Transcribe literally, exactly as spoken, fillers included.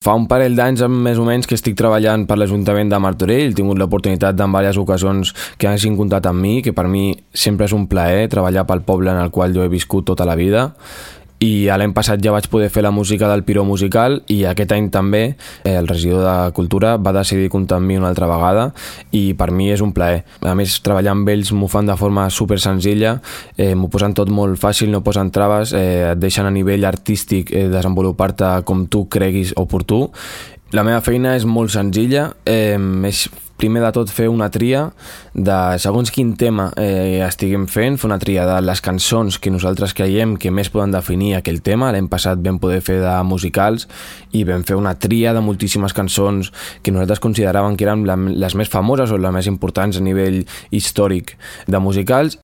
Fa un parell d'anys més o menys que estic treballant per l'Ajuntament de Martorell. He tingut l'oportunitat en diverses ocasions que hagin comptat amb mi, que per mi sempre és un plaer treballar pel poble en el qual jo he viscut tota la vida. I l'any passat ja vaig poder fer la música del Piró Musical i aquest any també eh, el regidor de Cultura va decidir comptar amb mi una altra vegada i per mi és un plaer. A més, treballar amb ells m'ho fan de forma super senzilla, eh, m'ho posen tot molt fàcil, no posen traves, eh, et deixen a nivell artístic eh, desenvolupar-te com tu creguis oportú. La meva feina és molt senzilla, eh, és primer de tot fer una tria de segons quin tema eh, estiguem fent, fer una tria de les cançons que nosaltres creiem que més poden definir aquell tema. L'any passat vam poder fer de musicals i vam fer una tria de moltíssimes cançons que nosaltres consideràvem que eren les més famoses o les més importants a nivell històric de musicals